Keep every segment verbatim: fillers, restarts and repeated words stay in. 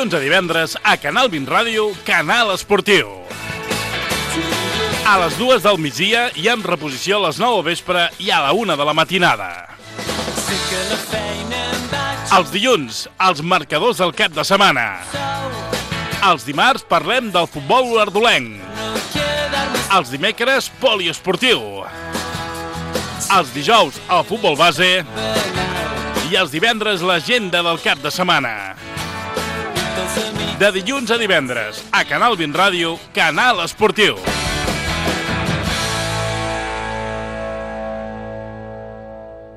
dilluns a divendres a Canal vint Ràdio, Canal Esportiu. A les dues del migdia i amb reposició a les nou del vespre i a la una de la matinada. Els dilluns, els marcadors del cap de setmana. Els dimarts parlem del futbol olordolenc. Els dimecres, poliesportiu. Els dijous, el futbol base. I els divendres, l'agenda del cap de setmana. De dilluns a divendres, a Canal vint Ràdio, Canal Esportiu.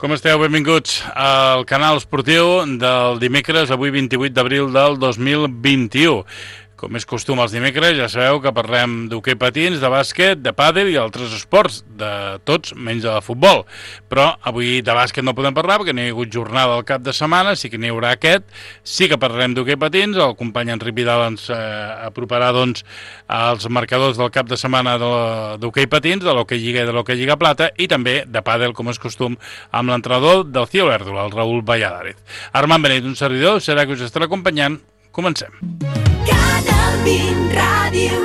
Com esteu? Benvinguts al Canal Esportiu del dimecres, avui vint-i-vuit d'abril del dos mil vint-i-u. Com és costum els dimecres, ja sabeu que parlem d'hoquei patins, de bàsquet, de pàdel i altres esports, de tots menys de futbol. Però avui de bàsquet no podem parlar perquè no hi ha hagut jornada al cap de setmana, sí que n'hi haurà aquest. Sí que parlarem d'hoquei patins, el company Enric Vidal ens eh, aproparà doncs, els marcadors del cap de setmana d'hoquei patins, de l'hoquei lliga i de l'hoquei lliga plata, i també de pàdel, com és costum, amb l'entrenador del Cio Verdul, el Raül Valladares. Armand Benet, un servidor, serà que us estarà acompanyant. Comencem. Canal vint Ràdio.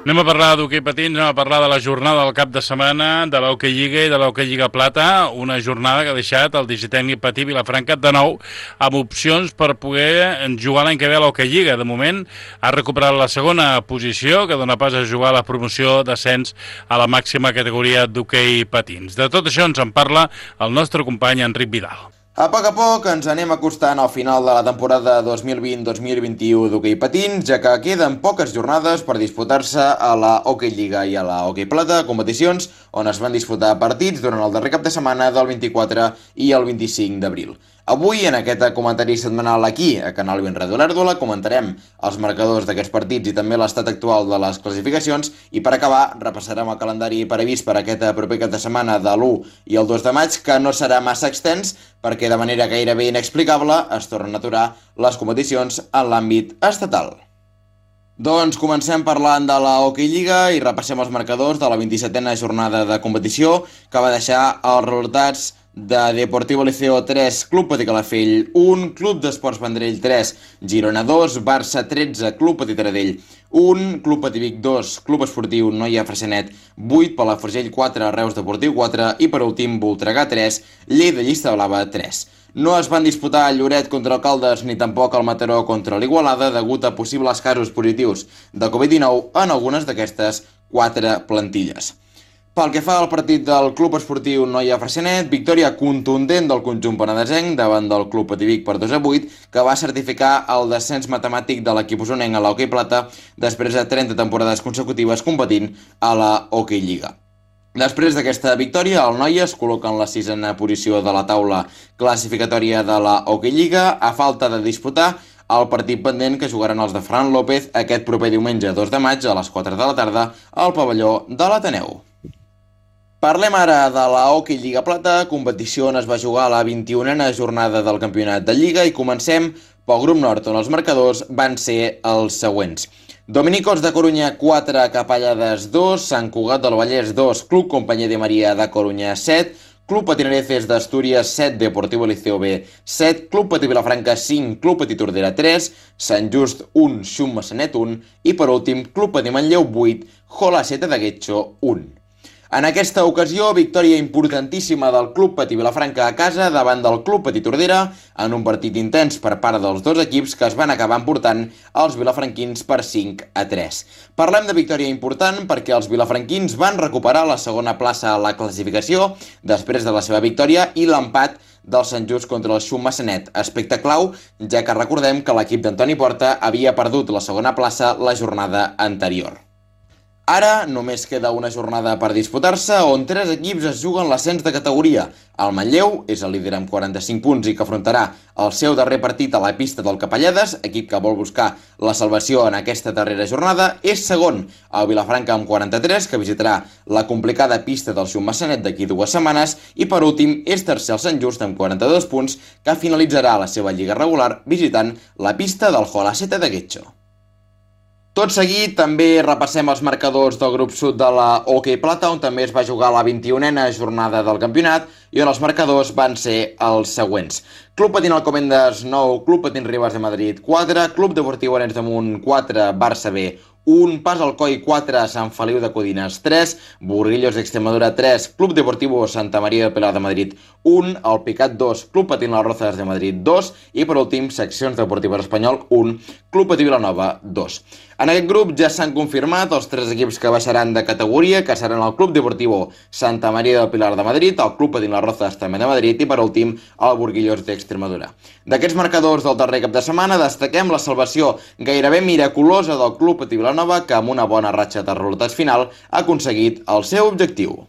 Anem a parlar d'hoquei patins, anem a parlar de la jornada del cap de setmana, de l'hoquei lliga i de l'hoquei lliga plata, una jornada que ha deixat el Digitècnic Patí Vilafranca de nou amb opcions per poder jugar l'any que ve a l'hoquei lliga. De moment ha recuperat la segona posició, que dona pas a jugar a la promoció d'ascens a la màxima categoria d'hoquei patins. De tot això ens en parla el nostre company Enric Vidal. A poc a poc ens anem acostant al final de la temporada dos mil vint dos mil vint-i-u d'hoquei patins, ja que queden poques jornades per disputar-se a la Hoquei Lliga i a la Hoquei Plata, competicions on es van disputar partits durant el darrer cap de setmana del vint-i-quatre i el vint-i-cinc d'abril. Avui, en aquest comentari setmanal aquí, a Canal vint Ràdio Olèrdola, comentarem els marcadors d'aquests partits i també l'estat actual de les classificacions, i per acabar repassarem el calendari previst per aquest proper cap de setmana de l'u i el dos de maig, que no serà massa extens perquè de manera gairebé inexplicable es tornen a aturar les competicions en l'àmbit estatal. Doncs comencem parlant de la Hoquei Lliga i repassem els marcadors de la vint-i-setena jornada de competició, que va deixar els resultats de Deportivo Liceo tres, Club Patí Calafell un, Club d'Esports Vendrell tres, Girona dos, Barça tretze, Club Patí Taradell un, Club Patí Vic dos, Club Esportiu Noia Freixenet vuit, Palafrugell quatre, Reus Deportiu quatre i per últim Voltregà tres, Lleida Llista Blava tres. No es van disputar el Lloret contra el Caldes ni tampoc el Mataró contra l'Igualada degut a possibles casos positius de covid dinou en algunes d'aquestes quatre plantilles. Pel que fa al partit del Club Esportiu Noia Freixenet, victòria contundent del conjunt penedesenc davant del Club Patí Vic per dos a vuit, que va certificar el descens matemàtic de l'equip osonenc a l'Hoquei Plata després de trenta temporades consecutives competint a la Hoquei Lliga. Després d'aquesta victòria, el Noia es col·loca en la sisena posició de la taula classificatòria de la Hoquei Lliga, a falta de disputar el partit pendent que jugaran els de Fran López aquest proper diumenge dos de maig a les quatre de la tarda al pavelló de l'Ateneu. Parlem ara de la Hoquei Lliga Plata, competició on es va jugar a la vint-i-unena jornada del campionat de Lliga, i comencem pel grup nord, on els marcadors van ser els següents. Dominicos de Corunya quatre, Capellades dos, Sant Cugat del Vallès dos, Club Companyia de Maria de Corunya set, Club Patinareces d'Astúries set, Deportivo Liceo B set, Club Patí Vilafranca cinc, Club Patí Tordera tres, Sant Just un, Xum Massanet un i per últim Club Patí Manlleu vuit, Jola Seta de Guetxo un. En aquesta ocasió, victòria importantíssima del Club Patí Vilafranca a casa davant del Club Patí Tordera en un partit intens per part dels dos equips que es van acabar emportant els vilafranquins per cinc a tres. Parlem de victòria important perquè els vilafranquins van recuperar la segona plaça a la classificació després de la seva victòria i l'empat del Sant Just contra el Xum Massanet, aspecte clau, ja que recordem que l'equip d'Antoni Porta havia perdut la segona plaça la jornada anterior. Ara només queda una jornada per disputar-se on tres equips es juguen l'ascens de categoria. El Manlleu és el líder amb quaranta-cinc punts i que afrontarà el seu darrer partit a la pista del Capellades, equip que vol buscar la salvació en aquesta darrera jornada. És segon el Vilafranca amb quaranta-tres, que visitarà la complicada pista del Xum Massanet d'aquí dues setmanes, i per últim és tercer el Sant Just amb quaranta-dos punts, que finalitzarà la seva lliga regular visitant la pista del Jola Seta de Guetxo. Tot seguit també repassem els marcadors del grup sud de la Hockey Plata, on també es va jugar la vint-i-unena jornada del campionat i on els marcadors van ser els següents. Club Patín Alcobendas nou, Club Patín Ribes de Madrid quatre, Club Deportiu Arenys de Munt quatre, Barça B un, Pas Alcoi quatre, Sant Feliu de Codines tres, Burguillos d'Extremadura tres, Club Deportivo Santa Maria del Pilar de Madrid un, El Picat dos, Club Patín Las Rozas de Madrid dos i per últim Seccions Deportives Espanyol un, Club Patí Vilanova dos. En aquest grup ja s'han confirmat els tres equips que baixaran de categoria, que seran el Club Deportivo Santa Maria del Pilar de Madrid, el Club Patín Las Rozas també de Madrid i per últim el Burguillos d'Extremadura. D'aquests marcadors del darrer cap de setmana destaquem la salvació gairebé miraculosa del Club Patí Vilanova, que amb una bona ratxa de resultats final ha aconseguit el seu objectiu.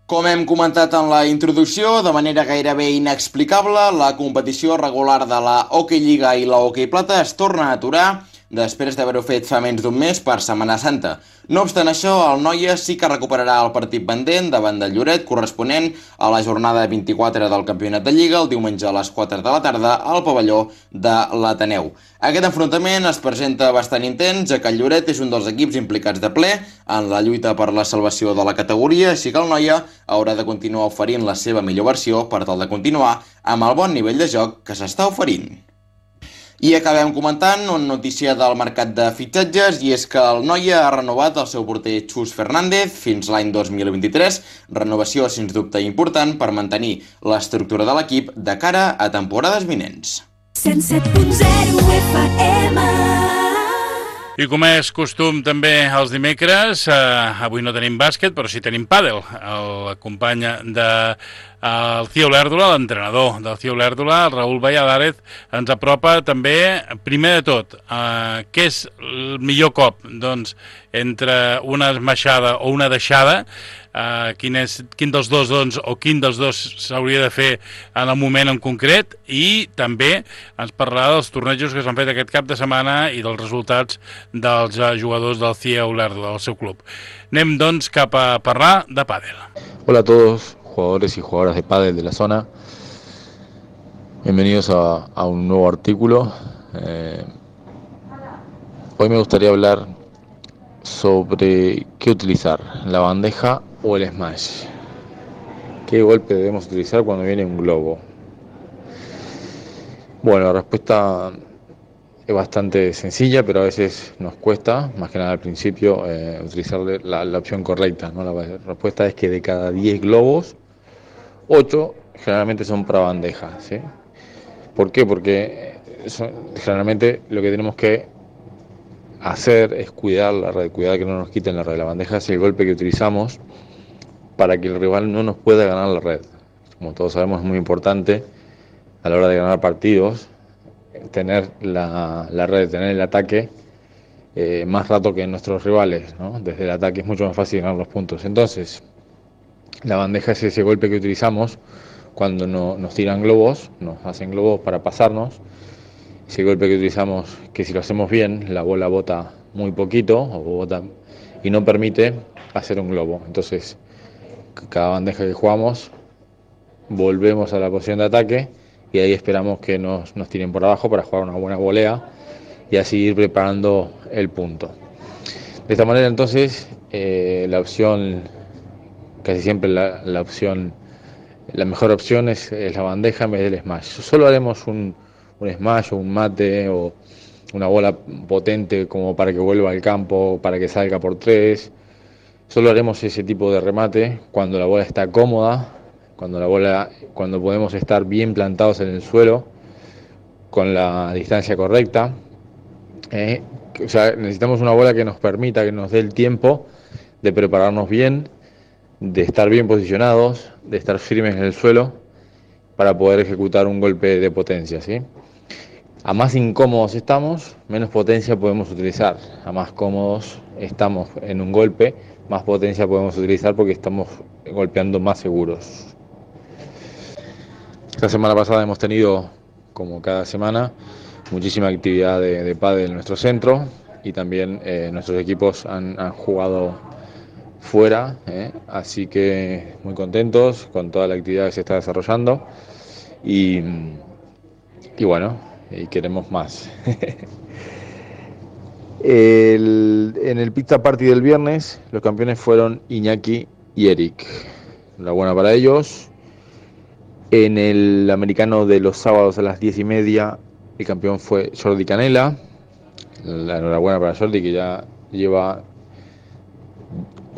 Com hem comentat en la introducció, de manera gairebé inexplicable, la competició regular de la Hockey Lliga i la Hockey Plata es torna a aturar després d'haver-ho fet fa menys d'un mes per Setmana Santa. No obstant això, el Noia sí que recuperarà el partit pendent davant del Lloret, corresponent a la jornada vint-i-quatre del Campionat de Lliga, el diumenge a les quatre de la tarda, al pavelló de l'Ateneu. Aquest enfrontament es presenta bastant intens, ja que el Lloret és un dels equips implicats de ple en la lluita per la salvació de la categoria, així que el Noia haurà de continuar oferint la seva millor versió per tal de continuar amb el bon nivell de joc que s'està oferint. I acabem comentant una notícia del mercat de fitxatges, i és que el Noia ha renovat el seu porter Xus Fernández fins l'any dos mil vint-i-tres, renovació sens dubte important per mantenir l'estructura de l'equip de cara a temporades vinents. cent set punt zero F M. I com és costum també els dimecres, eh, avui no tenim bàsquet, però sí tenim pàdel. El company de el Cio Lèrdula, l'entrenador del Cio Lèrdula, el Raül Valladares, ens apropa també, primer de tot, eh, què és el millor cop? Doncs entre una esmaixada o una deixada, eh, quin, és, quin dels dos doncs, o quin dels dos s'hauria de fer en el moment en concret, i també ens parlarà dels tornejos que s'han fet aquest cap de setmana i dels resultats dels eh, jugadors del Cio Lèrdula, del seu club. Anem doncs cap a parlar de pàdel. Hola a todos, jugadores y jugadoras de pádel de la zona. Bienvenidos a, a un nuevo artículo. Eh, hoy me gustaría hablar sobre qué utilizar, la bandeja o el smash. ¿Qué golpe debemos utilizar cuando viene un globo? Bueno, la respuesta es bastante sencilla, pero a veces nos cuesta, más que nada al principio, eh, utilizar la, la opción correcta, ¿no? La respuesta es que de cada diez globos, ocho generalmente son para bandeja, ¿sí? ¿Por qué? Porque son, generalmente lo que tenemos que hacer es cuidar la red, cuidar que no nos quiten la red. La bandeja es el golpe que utilizamos para que el rival no nos pueda ganar la red. Como todos sabemos, es muy importante a la hora de ganar partidos tener la, la red, tener el ataque eh, más rato que nuestros rivales, ¿no? Desde el ataque es mucho más fácil ganar los puntos. Entonces, la bandeja es ese golpe que utilizamos cuando no, nos tiran globos, nos hacen globos para pasarnos. Ese golpe que utilizamos, que si lo hacemos bien, la bola bota muy poquito o bota y no permite hacer un globo. Entonces, cada bandeja que jugamos, volvemos a la posición de ataque y ahí esperamos que nos, nos tiren por abajo para jugar una buena volea y así ir preparando el punto. De esta manera, entonces, eh, la opción, casi siempre la, la opción, la mejor opción es, es la bandeja en vez del smash. Solo haremos un, un smash o un mate o una bola potente como para que vuelva al campo, para que salga por tres. Solo haremos ese tipo de remate cuando la bola está cómoda, cuando la bola, cuando podemos estar bien plantados en el suelo, con la distancia correcta. Eh, o sea, necesitamos una bola que nos permita, que nos dé el tiempo de prepararnos bien, de estar bien posicionados, de estar firmes en el suelo para poder ejecutar un golpe de potencia, ¿sí? A más incómodos estamos, menos potencia podemos utilizar. A más cómodos estamos en un golpe, más potencia podemos utilizar porque estamos golpeando más seguros. Esta semana pasada hemos tenido, como cada semana, muchísima actividad de, de pádel en nuestro centro y también eh, nuestros equipos han, han jugado fuera, eh, así que muy contentos con toda la actividad que se está desarrollando y, y bueno, y queremos más. El, en el Pizza Party del viernes, los campeones fueron Iñaki y Eric. Enhorabuena para ellos. En el americano de los sábados a las diez y media, el campeón fue Jordi Canela. La enhorabuena para Jordi, que ya lleva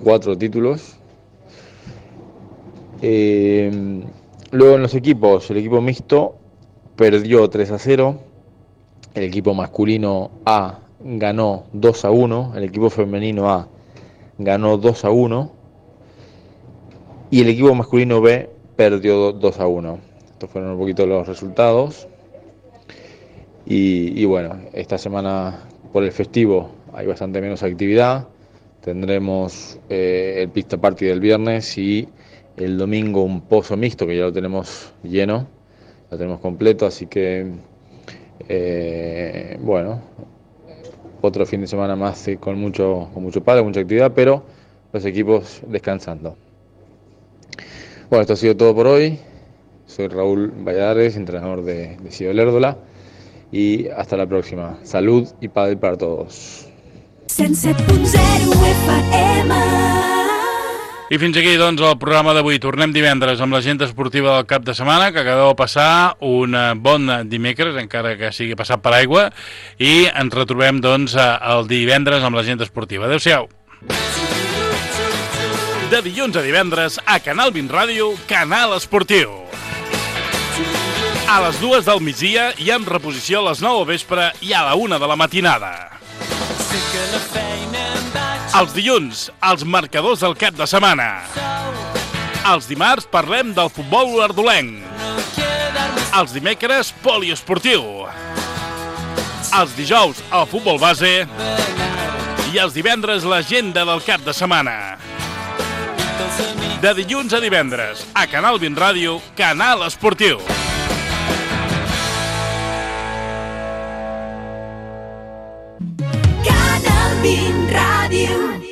cuatro títulos. Eh, luego en los equipos, el equipo mixto perdió tres a cero. El equipo masculino A ganó dos a uno. El equipo femenino A ganó dos a uno. Y el equipo masculino B perdió dos a uno. Estos fueron un poquito los resultados. Y, y bueno, esta semana por el festivo hay bastante menos actividad. Tendremos eh, el Pizza Party del viernes y el domingo un pozo mixto que ya lo tenemos lleno, lo tenemos completo, así que eh, bueno, otro fin de semana más eh, con mucho, con mucho padre, mucha actividad, pero los equipos descansando. Bueno, esto ha sido todo por hoy. Soy Raúl Valladares, entrenador de, de Ciudad Lérdola, y hasta la próxima. Salud y pádel para todos. cent set punt zero F M. I fins aquí, doncs, el programa d'avui. Tornem divendres amb l'agenda esportiva del cap de setmana, que acabeu de passar un bon dimecres, encara que sigui passat per aigua, i ens retrobem, doncs, el divendres amb l'agenda esportiva. Adéu-siau. De dilluns a divendres, a Canal vint Ràdio, Canal Esportiu. A les dues del migdia i amb reposició a les nou al vespre i a la una de la matinada. Els dilluns, els marcadors del cap de setmana. Els dimarts parlem del futbol olordolenc. Els dimecres, poliesportiu. Els dijous, el futbol base. I els divendres, l'agenda del cap de setmana. De dilluns a divendres, a Canal vint Ràdio, Canal Esportiu. Canal vint Ràdio.